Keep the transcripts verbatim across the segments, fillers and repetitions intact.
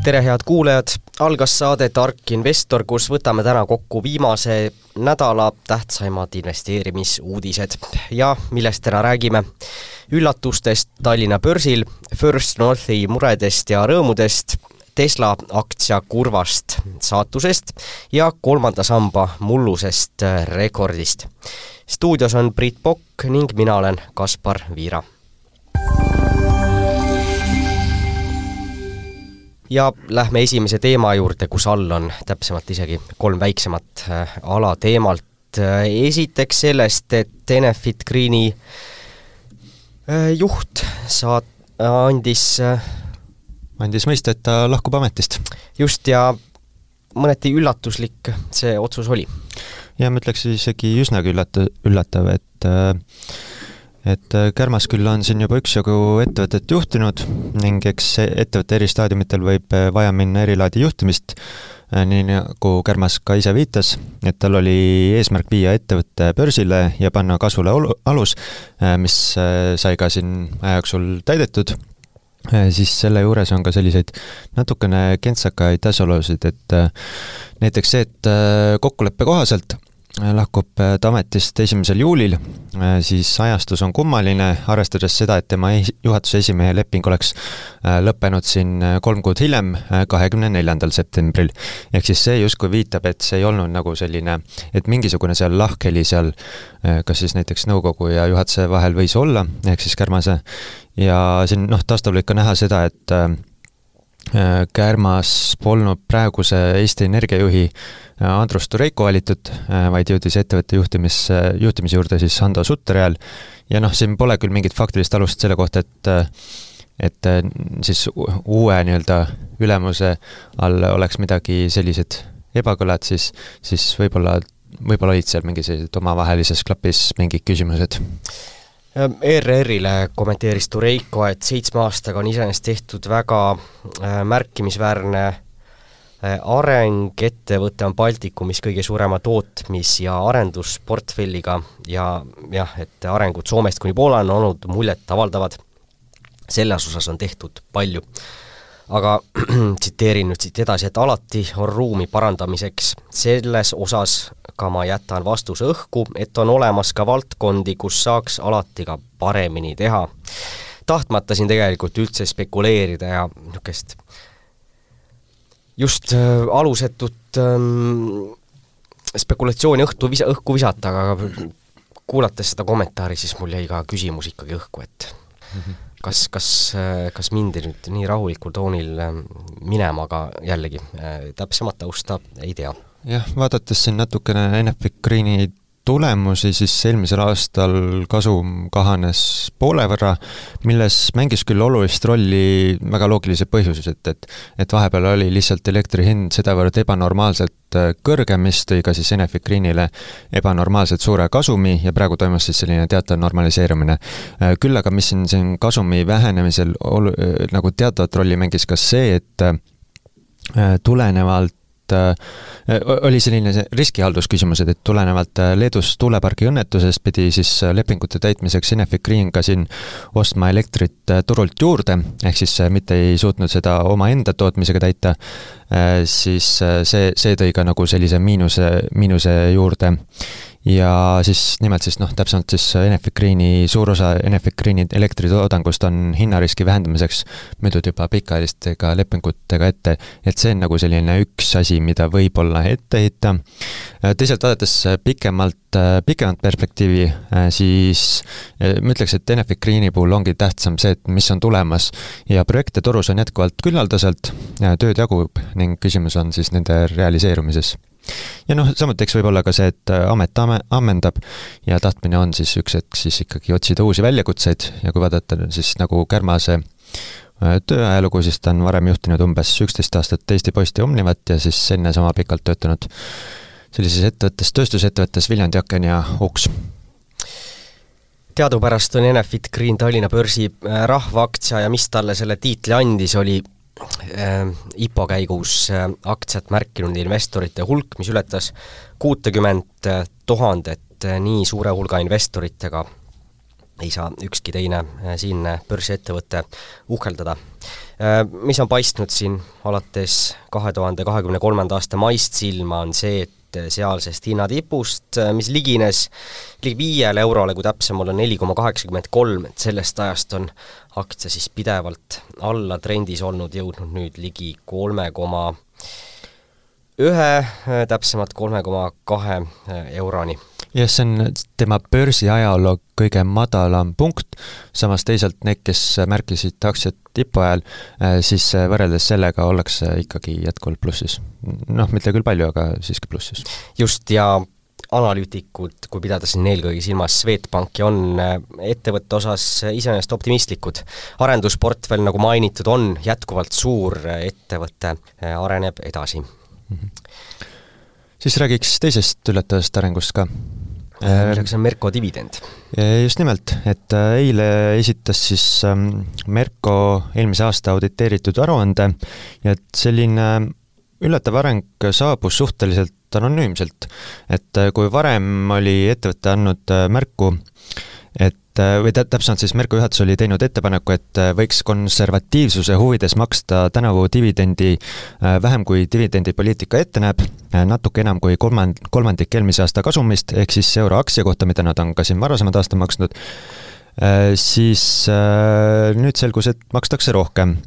Tere head kuulajad, algas saade Tark Investor, kus võtame täna kokku viimase nädala tähtsaimad investeerimisuudised ja millest täna räägime. Üllatustest Tallinna börsil, First Northi muredest ja rõõmudest, Tesla aktsia kurvast saatusest ja kolmanda samba mullusest rekordist. Stuudios on Priit Pokk ning mina olen Kaspar Viira. Ja lähme esimese teema juurde, kus all on täpsemalt isegi kolm väiksemat ala teemalt. Esiteks sellest, et Enefit Greeni juht saat, andis, andis mõista, et ta lahkub ametist. Just, ja mõneti üllatuslik see otsus oli. Ja ma ütleks isegi üsnagi üllata, üllatav, et et Kärmas küll on siin juba üksjagu ettevõtet juhtinud ning eks ettevõtte eri staadiumitel võib vaja minna erilaadi juhtimist, nii nagu Kärmas ka ise viitas, et tal oli eesmärk viia ettevõtte börsile ja panna kasvule alus, mis sai ka siin ajajaksul täidetud, siis selle juures on ka selliseid natukene kentsakaid asjaolusid, et näiteks see, et kokkuleppe kohaselt lahkub ta ametist esimesel juulil, siis ajastus on kummaline, arvestades seda, et tema juhatuse esimehe leping oleks lõppenud siin kolm kuud hiljem, kahekümne neljandal septembril. Ehk siis see justkui viitab, et see ei olnud nagu selline, et mingisugune seal lahkheli seal, kas siis näiteks nõukogu ja juhatuse vahel võis olla, ehk siis Kärmase. Ja siin noh, taustal võib ka näha seda, et Kärmas polnud praeguse Eesti Energiajuhi Andrus Tureiko valitud, vaid jõudis ettevõtte juhtimis, juhtimise juurde siis Hando Sutterjärel. Ja noh, siin pole küll mingit faktilist alust selle kohta, et, et siis uue nii-öelda ülemuse all oleks midagi sellised ebakõlad, siis, siis võib-olla, võib-olla olid seal mingi sellised omavahelises klapis mingid küsimused. E R R-ile kommenteeris Tureiko, et seitsme aastaga on iseenesest tehtud väga märkimisväärne areng, ettevõte on Baltikumis kõige suurema tootmis- ja arendusportfelliga ja jah, et arengud Soomest kuni Poolan on olnud muljet avaldavad. Selles osas on tehtud palju. Aga tsiteerin nüüd siit edasi, et alati on ruumi parandamiseks. Selles osas ka ma jätan vastuse õhku, et on olemas ka valdkondi, kus saaks alati ka paremini teha. Tahtmata siin tegelikult üldse spekuleerida ja niisugust just äh, alusetut ähm, spekulatsiooni õhtu visa, õhku visata, aga kuulates seda kommentaari, siis mul jäi ka küsimus ikkagi õhku, et mm-hmm. kas, kas, kas mindi nüüd nii rahulikul toonil minema, aga jällegi täpsemat tausta ei tea. Jah, vaadates siin natukene Enefit Greeni tulemusi, siis eelmisel aastal kasum kahanes poole võrra, milles mängis küll olulist rolli väga loogilise põhjuses, et, et, et vahepeal oli lihtsalt elektri hind sedavõrd ebanormaalselt kõrge, mis tõi ka siis Enefit Greenile ebanormaalselt suure kasumi ja praegu toimus siis selline teatav normaliseerumine. Küll aga mis siin, siin kasumi vähenemisel olu, nagu teatavat rolli mängis ka see, et tulenevalt oli selline riskihaldusküsimused, et tulenevalt Leedus tuulepargi õnnetusest pidi siis lepingute täitmiseks Enefit Green ka siin ostma elektrit turult juurde, ehk siis mitte ei suutnud seda oma enda tootmisega täita, siis see, see tõi ka nagu sellise miinuse, miinuse juurde. Ja siis nimelt siis noh, täpsemalt siis Enefit Greeni, suur osa Enefit Greeni elektritoodangust on hinnariski vähendamiseks müüdud juba pikaajalistega lepingutega ette, et see on nagu selline üks asi, mida võib-olla ette heita. Teisalt vaadates pikemalt, pikemalt perspektiivi, siis ma ütleks, et Enefit Greeni puhul ongi tähtsam see, et mis on tulemas ja projekte turus on jätkuvalt küllaldaselt, tööd jagub ning küsimus on siis nende realiseerumises. Ja noh, samuti eks võib olla ka see, et amet ammendab ja tahtmine on siis üks hetk siis ikkagi otsida uusi väljakutseid ja kui vaadata siis nagu Kärmase tööajalugu, siis ta on varem juhtinud umbes üksteist aastat Eesti Posti Omnivat ja siis enne sama pikalt töötanud sellises ettevõttes, tööstusettevõttes Viljandi Aken ja Uks. Teadupärast on Enefit Green Tallinna börsi rahvaaktsia ja mis talle selle tiitli andis, oli I P O käigus aktsiat märkinud investorite hulk, mis ületas kuutekümmet tuhandet nii suure hulga investoritega ei saa ükski teine siinne börsiettevõte uhkeldada. Mis on paistnud siin alates kahe tuhande kahekümne kolmanda aasta maist silma, on see, et sealsest hinnatipust, mis ligines ligi viiele eurole, kui täpsem olla neli koma kaheksakümmend kolm, et sellest ajast on aktsia siis pidevalt alla trendis olnud, jõudnud nüüd ligi kolme koma ühe, täpsemalt kolme koma kahe euroni. jah, see on tema börsi ajaloo kõige madalam punkt, samas teisalt need, kes märkisid aktsiat tipu ajal, siis võrreldes sellega ollakse ikkagi jätkuvalt plussis. Noh, mitte küll palju, aga siiski plussis. Just, ja analüütikud, kui pidada siin eelkõige silmas Swedbanki, on ettevõtte osas iseenesest optimistlikud. Arendusportfell, nagu mainitud, on jätkuvalt suur, ettevõte areneb edasi. Mm-hmm. Siis räägiks teisest üllatavast arengust ka. Milleks on Merko dividend? Just nimelt, et eile esitas siis Merko eelmise aasta auditeeritud aruande ja et selline üllatav areng saabus suhteliselt anonüümselt, et kui varem oli ettevõte andnud märku, et või täpselt siis Merko juhatus oli teinud ettepaneku, et võiks konservatiivsuse huvides maksta tänavu dividendi vähem kui dividendipoliitika ette näeb, natuke enam kui kolmand, kolmandik eelmise aasta kasumist, ehk siis euro aktsia kohta, mida nad on ka siin varasemad aasta maksnud, siis nüüd selgus, et makstakse rohkem.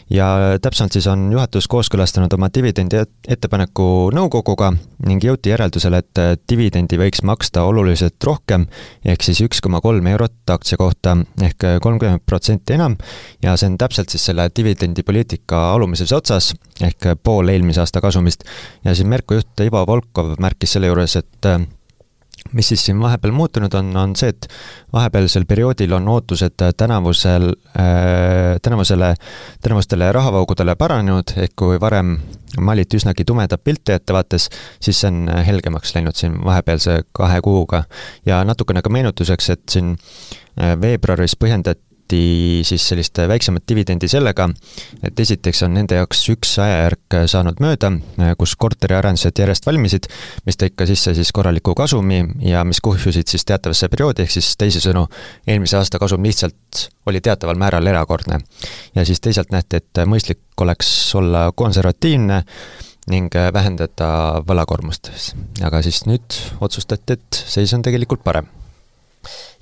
Ja täpselt siis on juhatus kooskõlastanud oma dividendi ettepaneku nõukoguga ning jõuti järeldusele, et dividendi võiks maksta oluliselt rohkem, ehk siis üks koma kolm eurot aktsia kohta ehk kolmkümmend protsenti enam ja see on täpselt siis selle dividendipoliitika alumises otsas ehk pool eelmise aasta kasumist. Ja siin Merko juht Ivo Volkov märkis selle juures, et mis siis siin vahepeal muutunud on, on see, et vahepealsel perioodil on ootused tänavusel, äh, tänavusele, tänavustele rahavaugudele paranenud, ehk kui varem maliti üsnagi tumeda pilti ettevaates, siis see on helgemaks läinud siin vahepealse kahe kuuga. Ja natukene ka meenutuseks, et siin veebruaris põhjendati siis sellist väiksemat dividendi sellega, et esiteks on nende jaoks üks ajajärk saanud mööda, kus korteriarendused järjest valmisid, mis tõi ka sisse siis korraliku kasumi ja mis kuhjusid siis teatavasse perioodi, ehk siis teisisõnu eelmise aasta kasum lihtsalt oli teataval määral erakordne. Ja siis teisalt nähti, et mõistlik oleks olla konservatiivne ning vähendada võlakormust. Aga siis nüüd otsustati, et seis on tegelikult parem.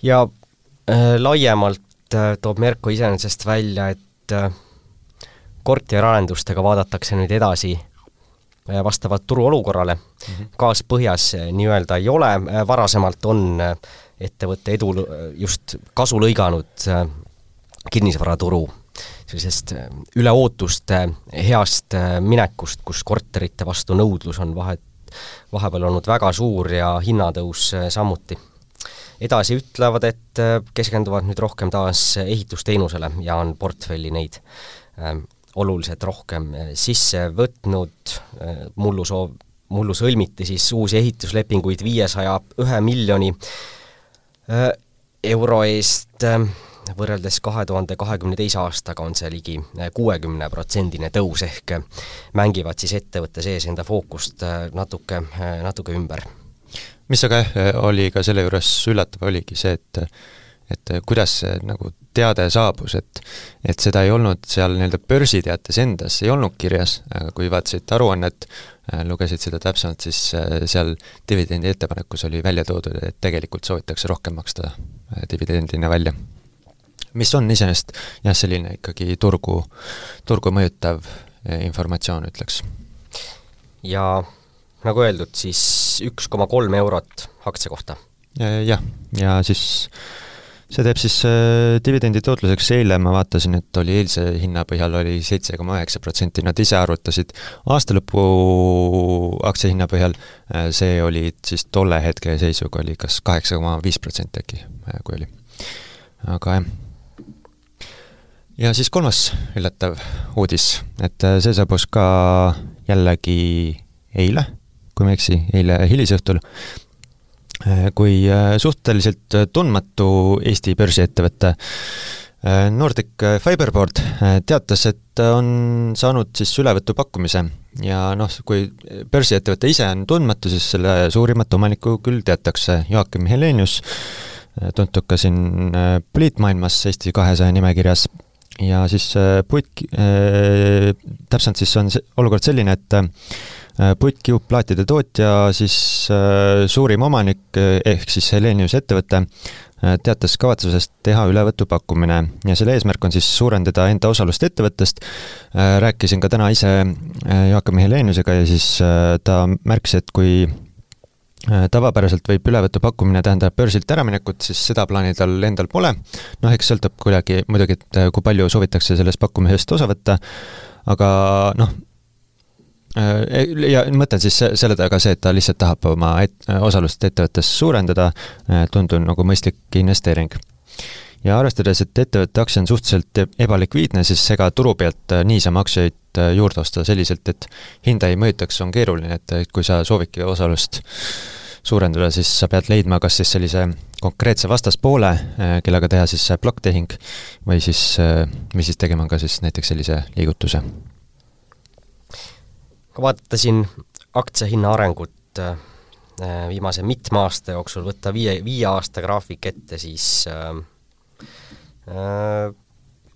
Ja äh, laiemalt toob Merko iseenesest välja, et korteriarendustega vaadatakse nüüd edasi vastavalt turuolukorrale. Mm-hmm. Gaas põhjas nii-öelda ei ole, varasemalt on ettevõtte edu just kasu lõiganud kinnisvaraturu sellisest üle ootuste heast minekust, kus korterite vastu nõudlus on vahe, vahepeal olnud väga suur ja hinnatõus samuti. Edasi ütlevad, et keskenduvad nüüd rohkem taas ehitusteenusele ja on portfelli neid äh, oluliselt rohkem sisse võtnud. Mullu, soov, mullu sõlmiti siis uusi ehituslepinguid viiesaja ühe miljoni äh, euro eest. Võrreldes kahe tuhande kahekümne teise aastaga on see ligi kuuekümne protsendine tõus ehk mängivad siis ettevõtte sees enda fookust natuke, natuke ümber. Mis aga oli ka selle juures üllatav oligi see, et, et kuidas see nagu teade saabus, et, et seda ei olnud seal nii-öelda börsiteates endas, ei olnud kirjas, aga kui vaatasid aruannet, lugesid seda täpsemalt, siis seal dividendi ettepanekus oli välja toodud, et tegelikult soovitakse rohkem maksta dividendina välja. Mis on iseenesest jah, selline ikkagi turgu, turgu mõjutav informatsioon, ütleks. Ja nagu öeldud, siis üks koma kolm eurot aktsia kohta. Jah, ja siis see teeb siis dividendi tootluseks eile, ma vaatasin, et oli eilse hinna põhjal oli seitse koma üheksa protsenti, nad ise arvutasid aastalõpu aktsia hinna põhjal, see oli siis tolle hetke seisuga oli kas kaheksa koma viis protsenti äkki, kui oli. Aga jah. Ja siis kolmas üllatav uudis, et see saabus ka jällegi eile, kui me eksi, eile hilisõhtul, kui suhteliselt tundmatu Eesti börsiettevõte Nordic Fiberboard teatas, et on saanud siis ülevõtu pakkumise ja noh, kui börsiettevõte ise on tundmatu, siis selle suurimat omanikku küll teatakse Joakim Helenius, tuntud ka siin poliitmaailmas Eesti kahesaja nimekirjas ja siis puit, täpselt siis on see olukord selline, et puitkiupplaatide tootja siis suurim omanik ehk siis Helenius ettevõte teatas kavatsusest teha ülevõtupakkumine ja selle eesmärk on siis suurendada enda osalust ettevõttest. Rääkisin ka täna ise Jaakam Heleniusega ja siis ta märkis, et kui tavapäraselt võib ülevõtupakkumine tähendab börsilt äraminekut, siis seda plaani tal endal pole. Noh, eks sõltub kuidagi muidugi, et kui palju soovitakse sellest pakkumisest osa võtta, aga noh, ja mõtlen siis selle taga see, et ta lihtsalt tahab oma et, osalust ettevõttes suurendada, tundub nagu mõistlik investeering. Ja arvestades, et ettevõtte aktsia on suhteliselt ebalikviidne, siis ega turu pealt niisama aktsiaid juurde osta selliselt, et hinda ei mõjutaks, on keeruline, et kui sa soovidki osalust suurendada, siis sa pead leidma kas siis sellise konkreetse vastaspoole, kellega teha siis plokktehing või siis, või siis tegema ka siis näiteks sellise liigutuse. Kui vaatasin aktsiahinna arengut viimase mitme aasta jooksul, võtta viie, viie aasta graafik ette, siis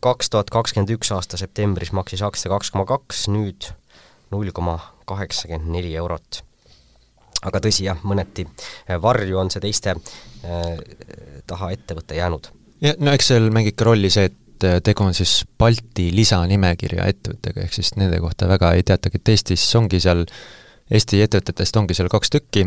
kaks tuhat kakskümmend üks aasta septembris maksis aktsia kaks koma kaks, nüüd null koma kaheksakümmend neli eurot. Aga tõsi jah, mõneti varju on see teiste taha ettevõtte jäänud. Ja, no eks seal mängib ka rolli see, et tegu on siis Balti lisanimekirja ettevõttega, ehk siis nende kohta väga ei teatagi, et Eestis ongi seal Eesti ettevõtetest ongi seal kaks tükki,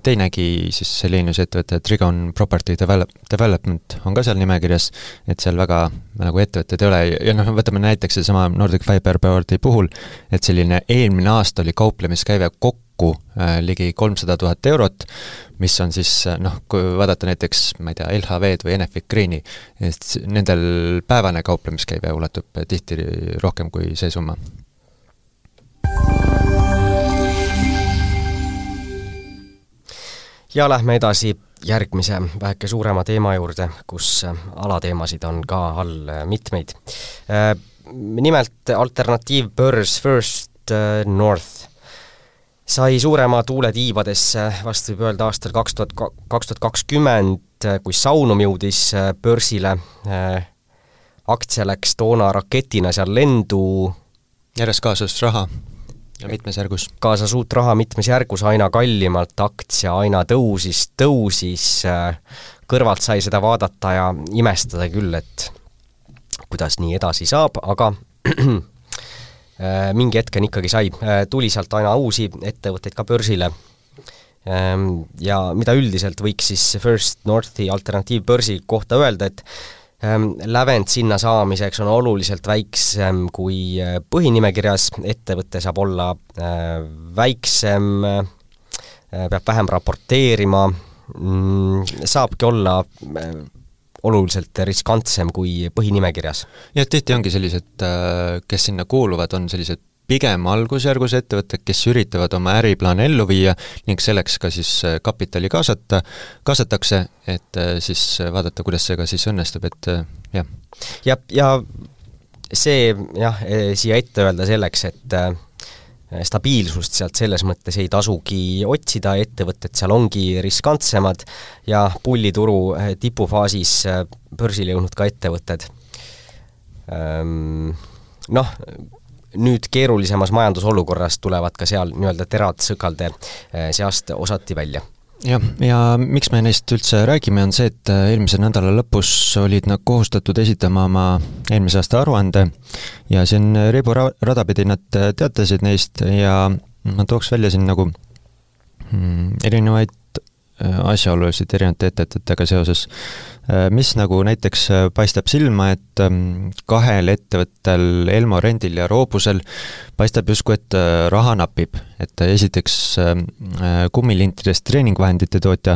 teinegi siis Helenius ettevõte Trigon Property Development on ka seal nimekirjas, et seal väga nagu ettevõtted ei ole ja noh, võtame näiteks see sama Nordic Fiberboardi puhul, et selline eelmine aasta oli kauplemiskäive kokku ligi kolmsada tuhat eurot, mis on siis noh, kui vaadata näiteks, ma ei tea, L H V-d või Enefit Greeni, et nendel päevane kauplemiskäive ulatub tihti rohkem kui see summa. Ja lähme edasi järgmise väheke suurema teema juurde, kus alateemasid on ka all mitmeid. Nimelt alternatiivbörs First North sai suurema tuule tiibadesse vastu võib öelda aastal kaks tuhat kakskümmend, kui Saunum jõudis börsile. Aktsia läks toona raketina seal lendu. Järjest kaasus raha. Ja mitmes järgus. Kaasas uut raha mitmes järgus, aina kallimalt aktsia, aina tõusis, tõusis, kõrvalt sai seda vaadata ja imestada küll, et kuidas nii edasi saab, aga mingi hetken ikkagi sai. Tuli sealt aina uusi ettevõtteid ka börsile. Ja mida üldiselt võiks siis First Northi alternatiivbörsi kohta öelda, et lävend sinna saamiseks on oluliselt väiksem kui põhinimekirjas, ettevõte saab olla väiksem, peab vähem raporteerima, saabki olla oluliselt riskantsem kui põhinimekirjas. Ja tihti ongi sellised, kes sinna kuuluvad, on sellised pigem algusjärgus ettevõtted, kes üritavad oma äriplaane ellu viia ning selleks ka siis kapitali kaasata, kaasatakse, et siis vaadata, kuidas see ka siis õnnestub, et jah. Ja, ja see jah, siia ette öelda selleks, et stabiilsust sealt selles mõttes ei tasugi otsida, ettevõtted seal ongi riskantsemad ja pullituru tipufaasis börsile jõudnud ka ettevõtted. Noh, nüüd keerulisemas majandusolukorras tulevad ka seal nii-öelda terad sõkalde seast osati välja. Jah, ja miks me neist üldse räägime, on see, et eelmise nädala lõpus olid nad kohustatud esitama oma eelmise aasta aruande ja siin ribu radapidi nad teatasid neist ja ma tooks välja siin nagu erinevaid asjaolusid erinevate ettevõtetega seoses, mis nagu näiteks paistab silma, et kahel ettevõttel, Elmo Rendil ja Roobusel paistab justkui, et raha napib. Et esiteks kummilintidest treeningvahendite tootja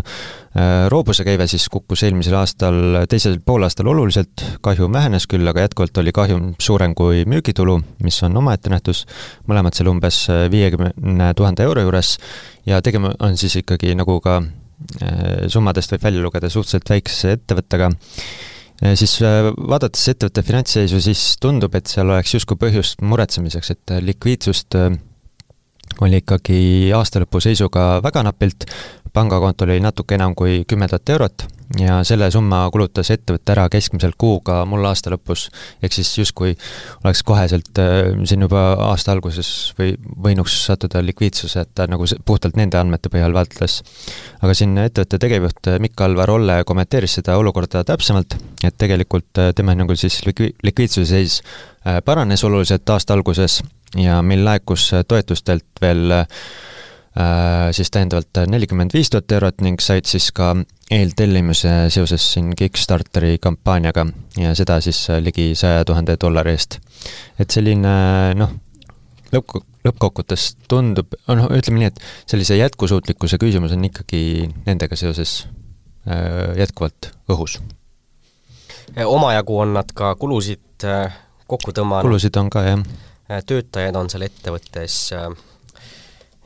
Roobuse käive siis kukkus eelmisel aastal, teisel poolaastal oluliselt, kahjum vähenes küll, aga jätkuvalt oli kahjum suurem kui müügitulu, mis on omaette nähtus, mõlemad seal umbes viiekümne tuhande euro juures ja tegema on siis ikkagi nagu ka summadest võib välja lugeda suhteliselt väikse ettevõttega, siis vaadates ettevõtte finantsseisu, siis tundub, et seal oleks justkui põhjust muretsemiseks, et likviidsust oli ikkagi aastalõpu seisuga väga napilt, pangakontol oli natuke enam kui kümme tuhat eurot ja selle summa kulutas ettevõtte ära keskmiselt kuuga mul aasta lõpus, ehk siis justkui oleks koheselt siin juba aasta alguses või võinuks sattuda likviidsuse, et ta nagu puhtalt nende andmete põhjal vaatles. Aga siin ettevõtte tegevjuht Mikk-Alvar Olle kommenteeris seda olukorda täpsemalt, et tegelikult tema hinnangul siis likvi- likviidsuse seis paranes oluliselt aasta alguses ja meil laekus toetustelt veel äh, siis tähendavalt nelikümmend viis tuhat eurot ning said siis ka eeltellimuse seoses siin Kickstarteri kampaaniaga ja seda siis ligi saja tuhande dollari eest. Et selline, noh, lõpp, lõppkokkutes tundub, no ütleme nii, et sellise jätkusuutlikkuse küsimus on ikkagi nendega seoses äh, jätkuvalt õhus. Omajagu on nad ka kulusid äh, kokku tõmmanud. Kulusid on ka, jah. Töötajad on seal ettevõttes,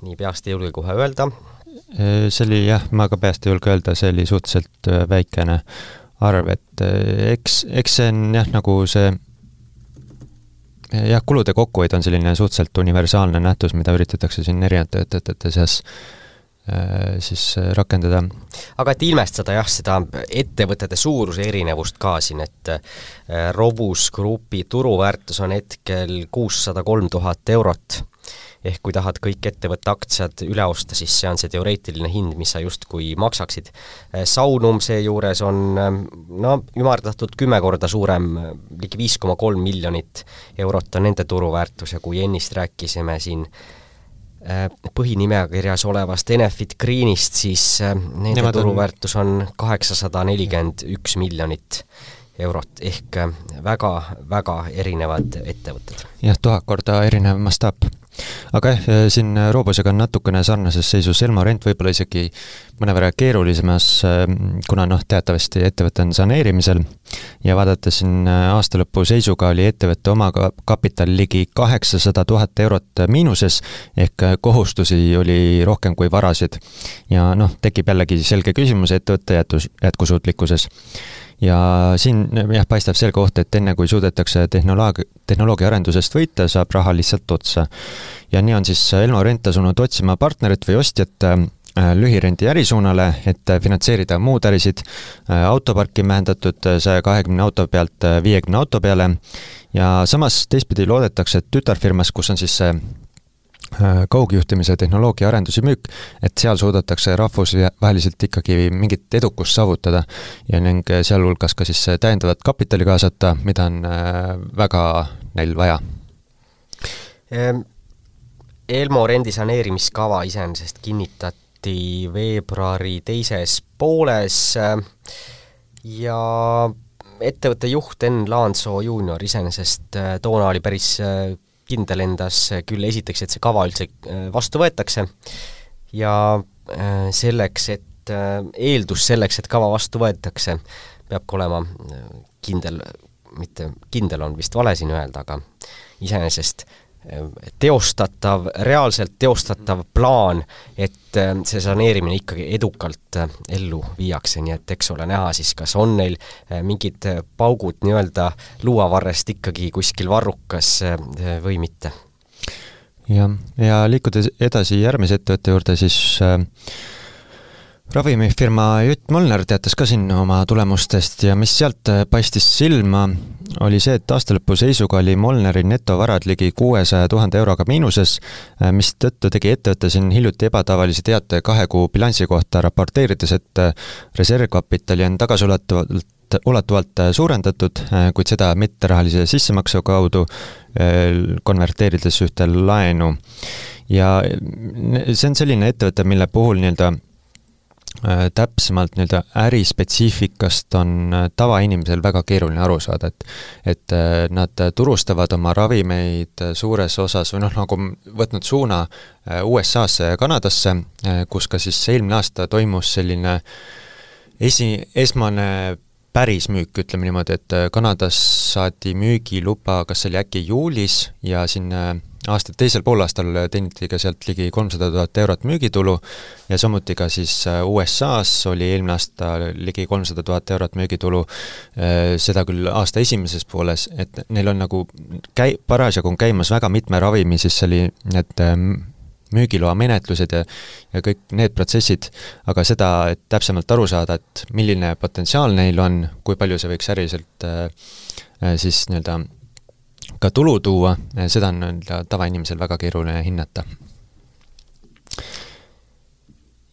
nii peast ei julge kohe öelda. See oli jah, ma ka peast ei julge öelda, see oli suhteliselt väikene arv, et eks, eks see on jah, nagu see jah, kulude kokkuhoid on selline suhteliselt universaalne nähtus, mida üritatakse siin erinevate ettevõtete seas siis rakendada. Aga et ilmestada jah, seda ettevõtete suuruse erinevust ka siin, et Robus Grupi turuväärtus on hetkel kuussada kolm tuhat eurot, ehk kui tahad kõik ettevõtte aktsiad üle osta, siis see on see teoreetiline hind, mis sa justkui maksaksid. Saunum seejuures on no, ümardatud kümme korda suurem, ligi viis koma kolm miljonit eurot on nende turuväärtus ja kui ennist rääkisime siin põhinimekirjas olevast Enefit Greenist, siis nende Nemad turuväärtus on kaheksasada nelikümmend üks miljonit eurot, ehk väga, väga erinevad ettevõtted. Jah, tuhat korda erinev mastaap. Aga jah, siin Robusega on natukene sarnases seisus Elmo Rent võib-olla isegi mõnevõrra keerulisemas, kuna noh, teatavasti ettevõte on saneerimisel ja vaadates siin aastalõpu seisuga oli ettevõtte oma kapital ligi kaheksasada tuhat eurot miinuses, ehk kohustusi oli rohkem kui varasid. Ja noh, tekib jällegi selge küsimus ettevõtte jätus, jätkusuutlikkuses. Ja siin jah, paistab selge oht, et enne kui suudetakse tehnoloogi, tehnoloogia arendusest võita, saab raha lihtsalt otsa. Ja nii on siis Elmo Rent asunud otsima partnerit või ostjat lühirendi ärisuunale, et finantseerida muud ärisid. Autoparki mähendatud saja kahekümne auto pealt viiekümne auto peale ja samas teistpidi loodetakse, et tütarfirmas, kus on siis see kaugjuhtimise tehnoloogia arendusi müük, et seal suudetakse rahvusvaheliselt ikkagi mingit edukust saavutada ja ning sealhulgas ka siis täiendavat kapitali kaasata, mida on väga neil vaja. Elmo Rendi saneerimiskava iseenesest kinnitati veebruari teises pooles ja ettevõtte juht Enn Laansoo juunior iseenesest toona oli päris kindel endas küll esiteks, et see kava üldse vastu võetakse ja selleks, et eeldus selleks, et kava vastu võetakse, peab ka olema kindel, mitte kindel on vist vale siin öelda, aga iseenesest teostatav, reaalselt teostatav plaan, et see saneerimine ikkagi edukalt ellu viiakse, nii et eks ole näha siis, kas on neil mingid paugud nii-öelda luuavarrest ikkagi kuskil varrukas või mitte. Ja, ja liikudes edasi järgmise ettevõtte juurde, siis äh, ravimifirma Jutt Molnar teatas ka siin oma tulemustest ja mis sealt paistis silma, oli see, et aastalõpu seisuga oli Molnari netovarad ligi kuuesaja tuhande euroga miinuses, mis tõttu tegi ettevõtte siin hiljuti ebatavalise teate kahe kuu bilansi kohta raporteerides, et reservkapitali on tagasiulatuvalt ulatuvalt suurendatud, kuid seda mitterahalise sissemaksu kaudu konverteerides ühte laenu. Ja see on selline ettevõte, mille puhul nii-öelda täpsemalt nii-öelda ärispetsiifikast on tavainimesel väga keeruline aru saada, et, et nad turustavad oma ravimeid suures osas või noh, nagu võtnud suuna U S A-sse ja Kanadasse, kus ka siis eelmine aasta toimus selline esi, esmane päris müük, ütleme niimoodi, et Kanadas saadi müügiluba, kas see oli äkki juulis ja siin aasta teisel poolaastal teeniti ka sealt ligi kolmsada tuhat eurot müügitulu ja samuti ka siis U S A-s oli eelmine aasta ligi kolmsada tuhat eurot müügitulu, seda küll aasta esimeses pooles, et neil on nagu käi-, parasjagu on käimas väga mitme ravimi, siis oli need müügiloa menetlused ja, ja kõik need protsessid, aga seda, et täpsemalt aru saada, et milline potentsiaal neil on, kui palju see võiks äriliselt äh, siis nii-öelda ka tulu tuua, seda on nii-öelda tavainimesel väga keeruline hinnata.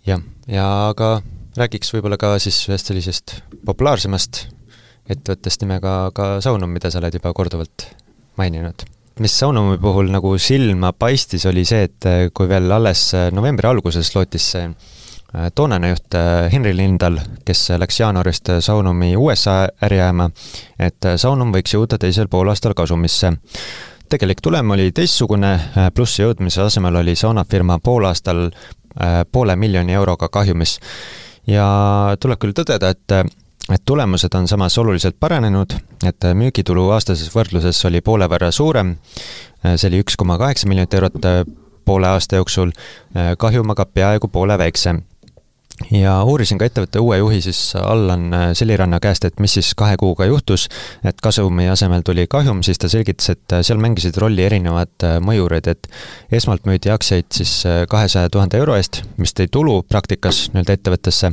jah, ja aga räägiks võib-olla ka siis ühest sellisest populaarsemast ettevõttest nimega ka Saunum, mida sa oled juba korduvalt maininud. Mis Saunumi puhul nagu silma paistis, oli see, et kui veel alles novembri alguses lootis see toonane juht Henri Lindal, kes läks jaanuarist Saunumi U S A äri ajama, et Saunum võiks jõuda teisel poolaastal kasumisse. Tegelik tulem oli teistsugune, plussi jõudmise asemel oli saunafirma poolaastal poole miljoni euroga kahjumis. Ja tuleb küll tõdeda, et, et tulemused on samas oluliselt paranenud, et müügitulu aastases võrdluses oli poole võrra suurem, see oli üks koma kaheksa miljonit eurot poole aasta jooksul, kahjum aga peaaegu poole väiksem. Ja uurisin ka ettevõtte uue juhi siis Allan Seliranna käest, et mis siis kahe kuuga juhtus, et kasumi asemel tuli kahjum, siis ta selgitas, et seal mängisid rolli erinevad mõjurid, et esmalt müüdi aktsiaid siis kahesaja tuhande euro eest, mis tõi tulu praktikas nii-öelda ettevõttesse,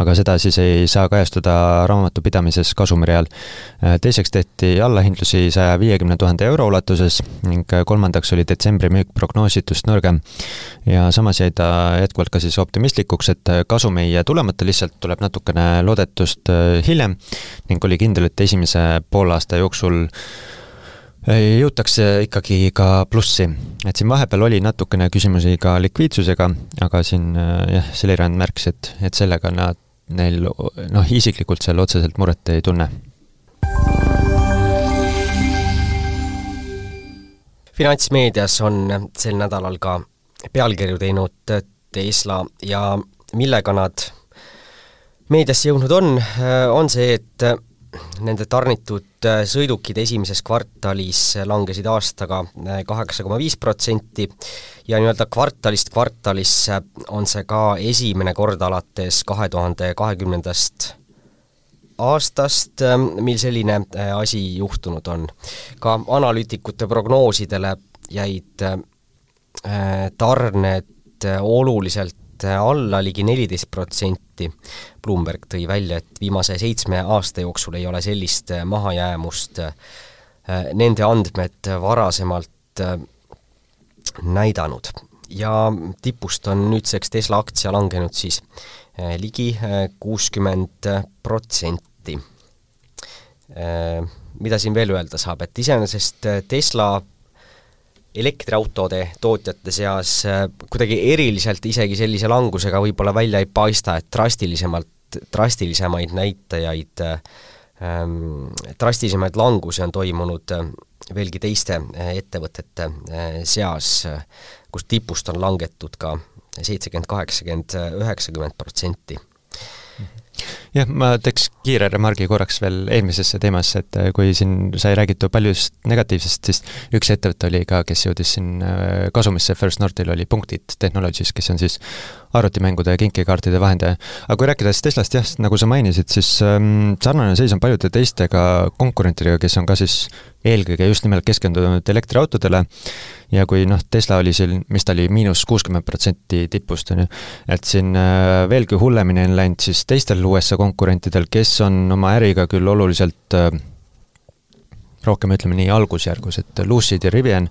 aga seda siis ei saa kajastuda raamatupidamises kasumireal. Teiseks tehti allahindlusi saja viiekümne tuhande euro ulatuses ning kolmandaks oli detsembri müük prognoositust nõrgem. Ja samas jäi ta jätkuvalt ka siis optimistlikuks, et kasum kasum ei jää tulemata, lihtsalt tuleb natukene loodetust hiljem ning oli kindel, et esimese poolaasta jooksul jõutakse ikkagi ka plussi. Et siin vahepeal oli natukene küsimusi ka likviidsusega, aga siin jah, Selirand märkis, et, et sellega nad, neil noh, isiklikult seal otseselt muret ei tunne. Finantsmeedias on sel nädalal ka pealkirju teinud Tesla ja millega nad meediasse jõudnud on, on see, et nende tarnitud sõidukid esimeses kvartalis langesid aastaga kaheksa koma viis protsenti ja nii-öelda kvartalist kvartalisse on see ka esimene kord alates kahe tuhande kahekümnendast aastast, mil selline asi juhtunud on. Ka analüütikute prognoosidele jäid tarned oluliselt alla ligi neliteist protsenti. Bloomberg tõi välja, et viimase seitsme aasta jooksul ei ole sellist mahajäämust nende andmed varasemalt näidanud. Ja tipust on nüüdseks Tesla aktsia langenud siis ligi kuuskümmend protsenti. Mida siin veel öelda saab, et iseenesest Tesla elektriautode tootjate seas kuidagi eriliselt isegi sellise langusega võib-olla välja ei paista, et drastilisemalt, drastilisemaid näitajaid, ähm, drastilisemaid langusi on toimunud veelgi teiste ettevõtete seas, kus tipust on langetud ka seitsekümmend, kaheksakümmend, üheksakümmend protsenti. Jah, ma teeks kiire remargi korraks veel eelmisesse teemasse, et kui siin sai räägitud paljust negatiivsest, siis üks ettevõte oli ka, kes jõudis siin kasumisse, First Northil oli Punktid Technologies, kes on siis arvutimängude ja kinkekaartide vahendaja. Aga kui rääkides Teslast, jah, nagu sa mainisid, siis ähm, sarnane seis on paljude teistega konkurentidega, kes on ka siis eelkõige just nimelt keskendunud elektriautodele ja kui noh, Tesla oli siin, mis ta oli miinus kuuskümmend protsenti tipust, on ju, et siin äh, veelgi hullemini on läinud siis teistel U S A konkurentidel, kes on oma äriga küll oluliselt äh, rohkem ütleme nii algusjärgus, et Lucid ja Rivian,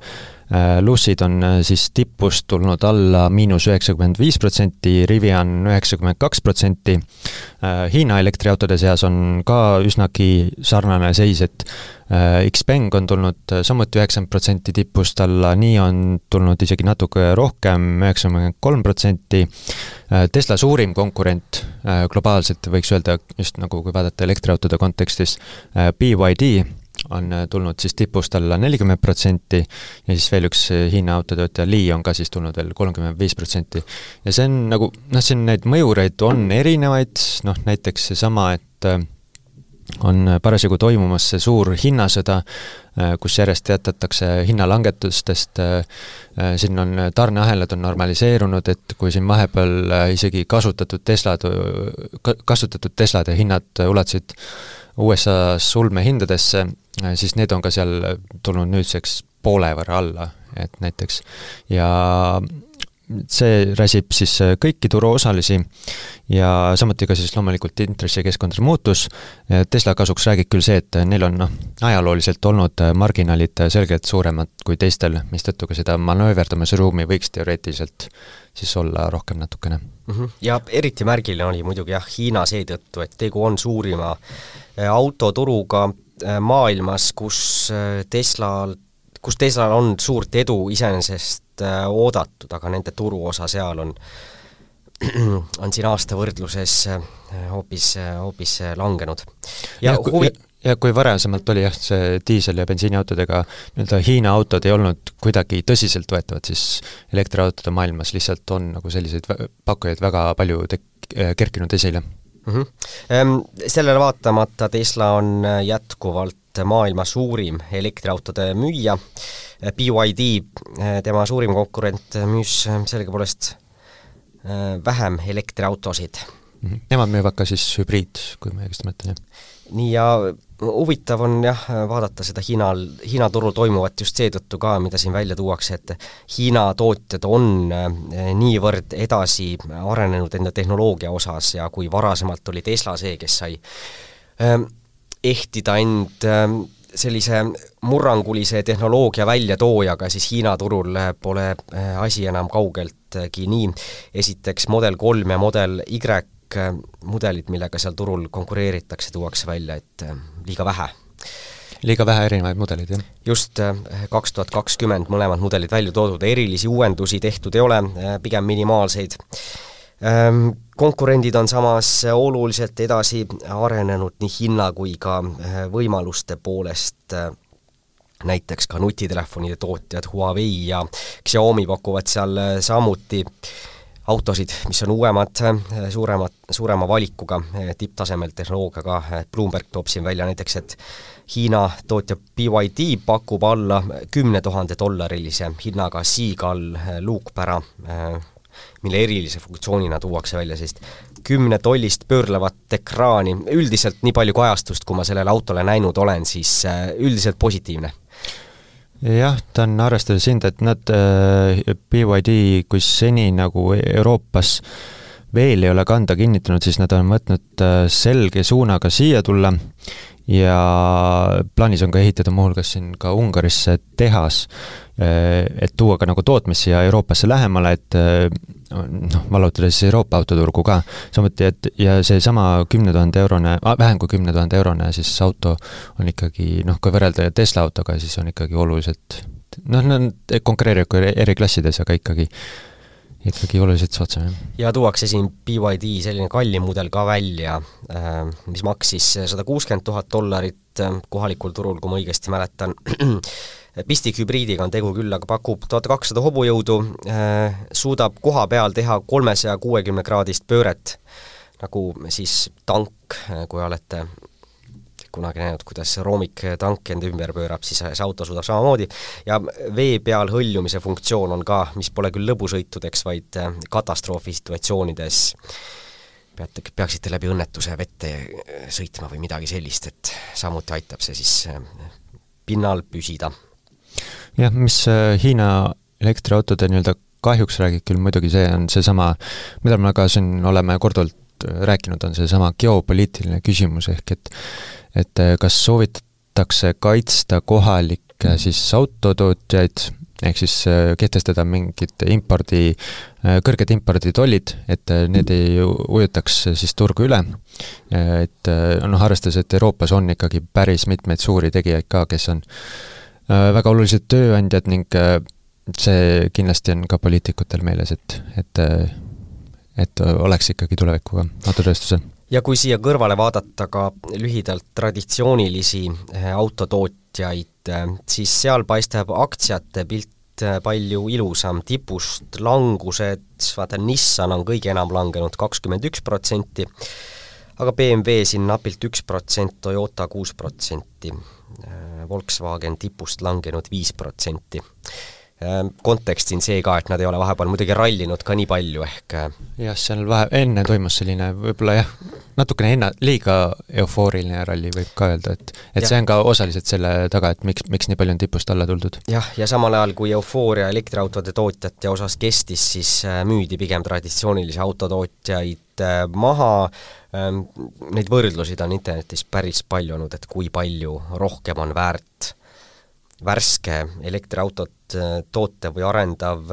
äh, Lucid on äh, siis tipust tulnud alla miinus üheksakümmend viis protsenti, Rivian üheksakümmend kaks protsenti. Äh, Hiina elektriautode seas on ka üsnagi sarnane seis, et äh, Xpeng on tulnud samuti üheksakümmend protsenti tipust alla, nii on tulnud isegi natuke rohkem, üheksakümmend kolm protsenti. Äh, Tesla suurim konkurent äh, globaalselt võiks öelda, just nagu kui vaadata elektriautode kontekstis, äh, B Y D on tulnud siis tipust alla nelikümmend protsenti ja siis veel üks Hiina autotöötaja Li on ka siis tulnud veel kolmkümmend viis protsenti. Ja see on nagu, noh, siin neid mõjureid on erinevaid, noh, näiteks seesama, et on parasjagu toimumas see suur hinnasõda, kus järjest jätatakse hinnalangetustest, siin on tarneahelad on normaliseerunud, et kui siin vahepeal isegi kasutatud Teslad, kasutatud Teslade hinnad ulatasid U S A-s ulmehindadesse, siis need on ka seal tulnud nüüdseks poole võrra alla, et näiteks ja see räsib siis kõiki turuosalisi ja samuti ka siis loomulikult intressikeskkondade muutus. Tesla kasuks räägib küll see, et neil on noh, ajalooliselt olnud marginaalid selgelt suuremad kui teistel, mistõttu ka seda manööverdamise ruumi võiks teoreetiliselt siis olla rohkem natukene. Mm-hmm. Ja eriti märgiline oli muidugi jah, Hiina seetõttu, et tegu on suurima autoturuga maailmas, kus Tesla, kus Teslal on suurt edu iseenesest oodatud, aga nende turuosa seal on, on siin aasta võrdluses hoopis, hoopis langenud. Ja, ja, kui, huvi... ja kui varasemalt oli jah, see diisel- ja bensiiniautodega nii-öelda Hiina autod ei olnud kuidagi tõsiselt võetavad, siis elektriautode maailmas lihtsalt on nagu selliseid pakkujaid väga palju tek- kerkinud esile. Mm-hmm. Sellele vaatamata Tesla on jätkuvalt maailma suurim elektriautode müüja. B Y D, tema suurim konkurent, müüs sellegipoolest vähem elektriautosid. Mm-hmm. Nemad müüvad ka siis hübriid, kui ma õigesti mõtlen, jah. Nii ja huvitav on jah vaadata seda Hiinal, Hiina turul toimuvat just seetõttu ka, mida siin välja tuuakse, et Hiina tootjad on niivõrd edasi arenenud enda tehnoloogia osas ja kui varasemalt oli Tesla see, kes sai ehtida end sellise murrangulise tehnoloogia väljatoojaga, siis Hiina turul pole asi enam kaugeltki nii. Esiteks Model kolm ja Model Y mudelid, millega seal turul konkureeritakse, tuuakse välja, et liiga vähe. Liiga vähe erinevaid mudelid, jah? Just kaks tuhat kakskümmend mõlemad mudelid välja toodud, erilisi uuendusi tehtud ei ole, pigem minimaalseid. Konkurendid on samas oluliselt edasi arenenud nii hinna kui ka võimaluste poolest. Näiteks ka nutitelefonide tootjad Huawei ja Xiaomi pakuvad seal samuti autosid, mis on uuemad, suuremad, suurema valikuga, tipptasemel tehnoloogiaga. Bloomberg toob siin välja näiteks, et Hiina tootja B Y D pakub alla kümne tuhande dollarilise hinnaga Seagull luukpära, mille erilise funktsioonina tuuakse välja sellist kümne tollist pöörlevat ekraani. Üldiselt nii palju kajastust, kui ma sellele autole näinud olen, siis üldiselt positiivne. Jah, ta on arvestades hind, et nad B Y D, kui seni nagu Euroopas veel ei ole kanda kinnitanud, siis nad on võtnud selge suunaga siia tulla ja plaanis on ka ehitada muuhulgas siin ka Ungarisse tehas, et tuua ka nagu tootmisi ja Euroopasse lähemale, et noh, vallutada siis Euroopa autoturgu ka. Samuti, et ja see sama kümne tuhande eurone, vähem kui kümne tuhande eurone siis auto on ikkagi, noh, kui võrrelda Tesla autoga, siis on ikkagi oluliselt, noh, nad konkureerivad eri klassides, aga ikkagi ikkagi oluliselt soodsam. Ja tuuakse siin B Y D selline kallim mudel ka välja, mis maksis sada kuuskümmend tuhat dollarit kohalikul turul, kui ma õigesti mäletan. Pistikhübriidiga on tegu küll, aga pakub tuhat kakssada hobujõudu, suudab koha peal teha kolmesaja kuuekümne kraadist pööret, nagu siis tank, kui olete kunagi näinud, kuidas roomik tank enda ümber pöörab, siis see auto suudab samamoodi. Ja vee peal hõljumise funktsioon on ka, mis pole küll lõbusõitudeks, vaid katastroofi situatsioonides peate, peaksite läbi õnnetuse vette sõitma või midagi sellist, et samuti aitab see siis pinnal püsida. Jah, mis Hiina elektriautode nii-öelda kahjuks räägib küll muidugi see on see sama, mida me ka siin oleme korduvalt rääkinud, on see sama geopoliitiline küsimus, ehk et et kas soovitatakse kaitsta kohalikke siis autotootjaid, ehk siis kehtestada mingid impordi, kõrged imporditollid, et need ei ujutaks siis turgu üle, et noh, arvestades, et Euroopas on ikkagi päris mitmeid suuri tegijaid ka, kes on väga olulised tööandjad ning see kindlasti on ka poliitikutel meeles, et, et, et oleks ikkagi tulevikuga autotööstusel. Ja kui siia kõrvale vaadata ka lühidalt traditsioonilisi autotootjaid, siis seal paistab aktsiate pilt palju ilusam, tipust langused, vaata Nissan on kõige enam langenud kakskümmend üks protsenti, aga B M W siin napilt üks protsent, Toyota kuus protsenti, Volkswagen tipust langenud viis protsenti. kontekstin see ka, et nad ei ole vahepeal muidugi rallinud ka nii palju, ehk jah, seal vahe, enne toimus selline võib-olla jah, natukene enna, liiga eufooriline ralli võib ka öelda, et et ja. See on ka osaliselt selle taga, et miks, miks nii palju on tipust alla tuldud. Jah, ja samal ajal, kui eufooria elektriautode tootjate osas kestis, siis müüdi pigem traditsioonilisi autotootjaid maha. Neid võrdlusid on internetis päris palju olnud, et kui palju rohkem on väärt värske elektriautot tootev või arendav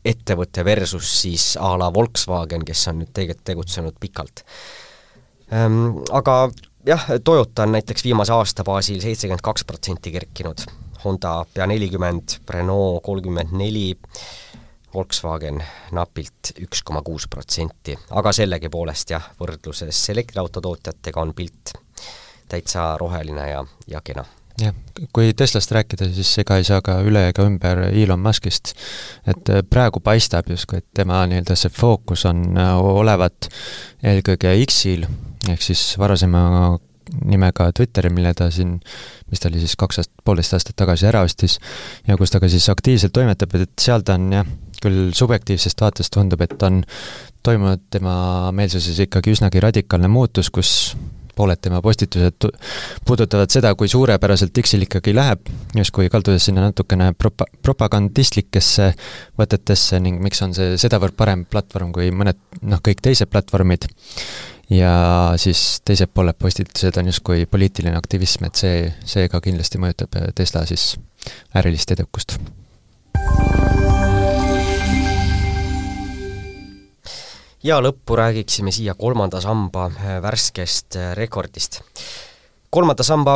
ettevõte versus siis a la Volkswagen, kes on nüüd tegelikult tegutsenud pikalt. Aga jah, Toyota on näiteks viimase aasta baasil seitsekümmend kaks protsenti kerkinud, Honda pea nelikümmend, Renault kolmkümmend neli, Volkswagen napilt üks koma kuus protsenti, aga sellegi poolest jah, võrdluses elektriautotootjatega on pilt täitsa roheline ja, ja kena. Jah, kui Teslast rääkida, siis ega ei saa ka üle ega ümber Elon Muskist, et praegu paistab justkui, et tema nii-öelda see fookus on olevat eelkõige X-il, ehk siis varasema nimega Twitteri, mille ta siin, mis ta oli siis kaks aastat, poolteist aastat tagasi ära ostis ja kus ta ka siis aktiivselt toimetab, et seal ta on jah, küll subjektiivsest vaatest tundub, et on toimunud tema meelsuses ikkagi üsnagi radikaalne muutus, kus pooled tema postitused puudutavad seda, kui suurepäraselt X-il ikkagi läheb, just kui kaldudes sinna natukene propa- propagandistlikesse võtetesse ning miks on see sedavõrd parem platvorm kui mõned, noh, kõik teised platvormid. Ja siis teised pooled postitused on just kui poliitiline aktivism, et see, see ka kindlasti mõjutab Tesla siis ärilist edukust. Ja lõppu räägiksime siia kolmanda samba värskest rekordist. Kolmanda samba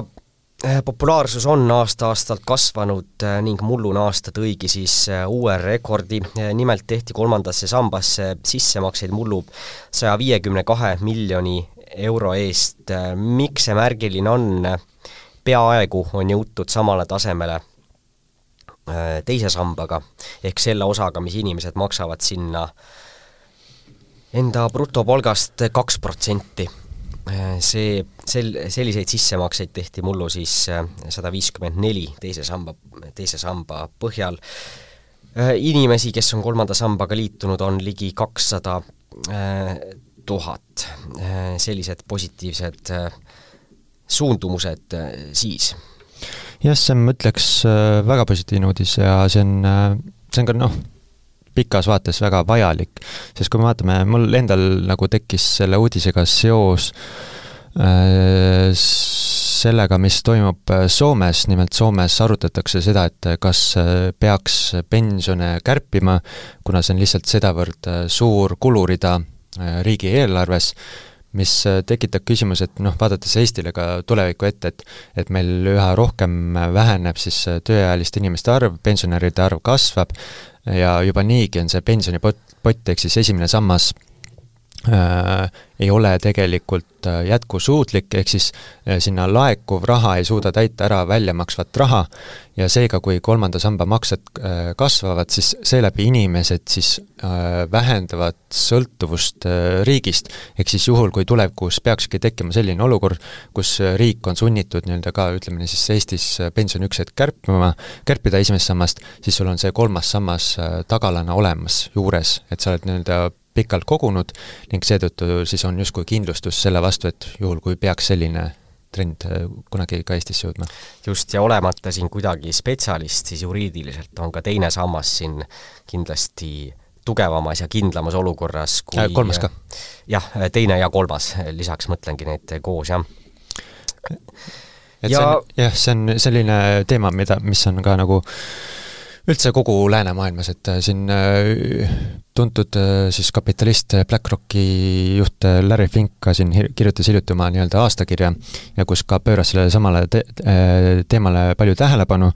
populaarsus on aasta-aastalt kasvanud ning mullune aasta tõigi siis uue rekordi. Nimelt tehti kolmandasse sambasse sissemakseid mullu saja viiekümne kahe miljoni euro eest. Miks see märgiline on? Peaaegu on jõutud samale tasemele teise sambaga, ehk selle osaga, mis inimesed maksavad sinna enda brutopalgast kaks protsenti. See, sel, selliseid sissemakseid tehti mullu siis sada viiskümmend neli teise samba, teise samba põhjal. Inimesi, kes on kolmanda sambaga liitunud, on ligi kakssada tuhat. Sellised positiivsed suundumused siis. Jah, see ma ütleks väga positiivne uudis ja see on, see on ka noh, pikas vaates väga vajalik, sest kui me vaatame, mul endal nagu tekkis selle uudisega seos äh, sellega, mis toimub Soomes, nimelt Soomes arutatakse seda, et kas peaks pensione kärpima, kuna see on lihtsalt sedavõrd suur kulurida riigi eelarves, mis tekitab küsimus, et noh, vaadates Eestile ka tuleviku ette, et, et meil üha rohkem väheneb siis tööealiste inimeste arv, pensionäride arv kasvab ja juba niigi on see pensionipott, ehk siis esimene sammas äh, ei ole tegelikult jätkusuutlik, ehk siis äh, sinna laekuv raha ei suuda täita ära väljamaksvat raha ja seega, kui kolmanda samba maksed äh, kasvavad, siis seeläbi inimesed siis äh, vähendavad sõltuvust äh, riigist, ehk siis juhul, kui tulevikus peakski tekkima selline olukord, kus riik on sunnitud nii-öelda ka, ütleme siis Eestis pensioniükset kärpima, kärpida esimest sammast, siis sul on see kolmas sammas äh, tagalana olemas juures, et sa oled nii-öelda pikalt kogunud ning seetõttu siis on justkui kindlustus selle vastu, et juhul kui peaks selline trend kunagi ka Eestisse jõudma. Just, ja olemata siin kuidagi spetsialist, siis juriidiliselt on ka teine sammas siin kindlasti tugevamas ja kindlamas olukorras kui... Kolmas ka. Jah, teine ja kolmas, lisaks mõtlengi neid koos, jah. Et ja... see on, jah, see on selline teema, mida, mis on ka nagu üldse kogu läänemaailmas, et siin tuntud siis kapitalist BlackRocki juht Larry Fink ka siin kirjutas hiljuti oma nii-öelda aastakirja ja kus ka pööras selle samale te- teemale palju tähelepanu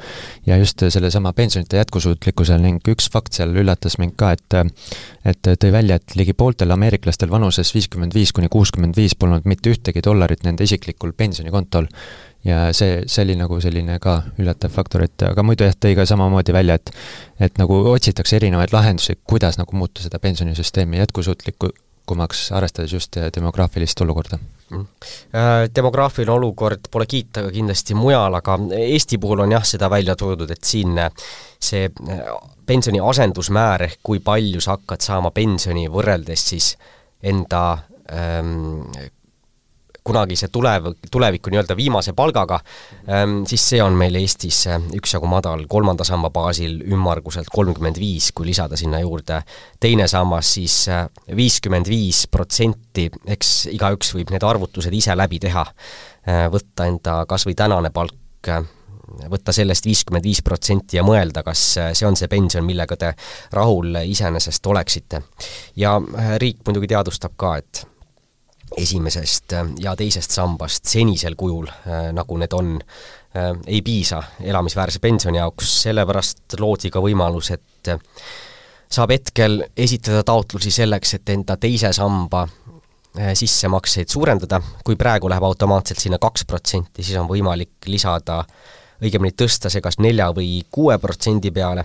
ja just selle sama pensionite jätkusuutlikkusel ning üks fakt seal üllatas mind ka, et, et tõi välja, et ligi pooltel ameeriklastel vanuses viiskümmend viis kuni kuuskümmend viis polnud mitte ühtegi dollarit nende isiklikul pensionikontol. Ja see, see oli nagu selline ka üllatav faktor, et aga muidu jah, tõi ka samamoodi välja, et, et nagu otsitakse erinevaid lahendusi, kuidas nagu muuta seda pensionisüsteemi jätkusuutlikku, pakkumaks, arvestades just demograafilist olukorda? Demograafiline olukord pole kiita ka kindlasti mujal, aga Eesti puhul on jah seda välja toodud, et siin see pensioni asendusmäär ehk kui palju sa hakkad saama pensioni võrreldes siis enda ähm, kunagi see tulev, tuleviku nii-öelda viimase palgaga, ähm, siis see on meil Eestis üksjagu madal, kolmanda samba baasil ümmarguselt kolmkümmend viis, kui lisada sinna juurde teine sammas, siis viiskümmend viis protsenti, eks igaüks võib need arvutused ise läbi teha, võtta enda kas või tänane palk, võtta sellest viiskümmend viis protsenti ja mõelda, kas see on see pension, millega te rahul iseenesest oleksite. Ja riik muidugi teadustab ka, et esimesest ja teisest sambast senisel kujul, nagu need on, ei piisa elamisväärse pensioni jaoks, sellepärast loodi ka võimalus, et saab hetkel esitada taotlusi selleks, et enda teise samba sissemakseid suurendada. Kui praegu läheb automaatselt sinna kaks protsenti, siis on võimalik lisada õigemini tõsta see kas nelja või kuue protsendi peale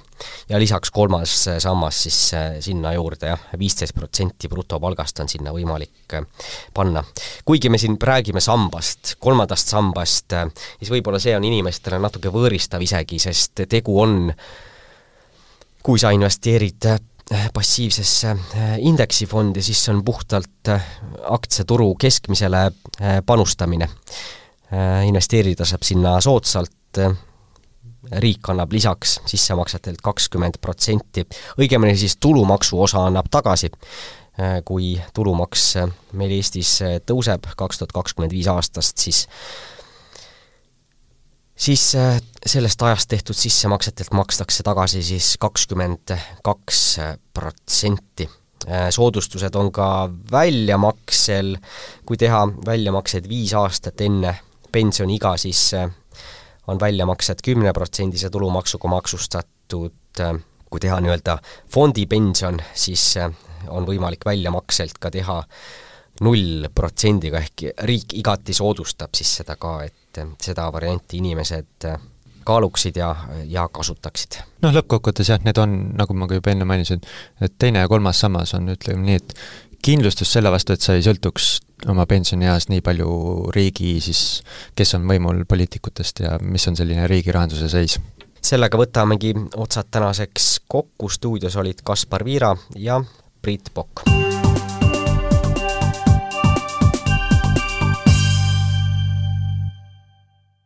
ja lisaks kolmas sammas siis sinna juurde ja viisteist protsenti brutopalgast on sinna võimalik panna. Kuigi me siin räägime sambast, kolmandast sambast, siis võib-olla see on inimestele natuke võõristav isegi, sest tegu on, kui sa investeerid passiivsesse indeksifondi, siis on puhtalt aktsiaturu keskmisele panustamine. Investeerida saab sinna soodsalt, riik annab lisaks sissemaksetelt kakskümmend protsenti, õigemini siis tulumaksu osa annab tagasi, kui tulumaks meil Eestis tõuseb kaks tuhat kakskümmend viis aastast, siis siis sellest ajast tehtud sissemaksetelt makstakse tagasi siis kakskümmend kaks protsenti. Soodustused on ka väljamaksel, kui teha väljamakseid viis aastat enne pensioniiga, siis on väljamaksed kümne protsendise tulumaksuga maksustatud, kui teha nii-öelda fondipension, siis on võimalik väljamakselt ka teha null protsendiga, ehk riik igati soodustab siis seda ka, et seda varianti inimesed kaaluksid ja, ja kasutaksid. Noh, lõppkokkuvõttes jah, need on, nagu ma ka juba enne mainisin, et teine ja kolmas sammas on, ütleme nii, et kindlustus selle vastu, et sa ei sõltuks oma pensionieas nii palju riigi, siis kes on võimul poliitikutest ja mis on selline riigi rahanduse seis. Sellega võtamegi otsad tänaseks kokku, stuudios olid Kaspar Viira ja Priit Pokk.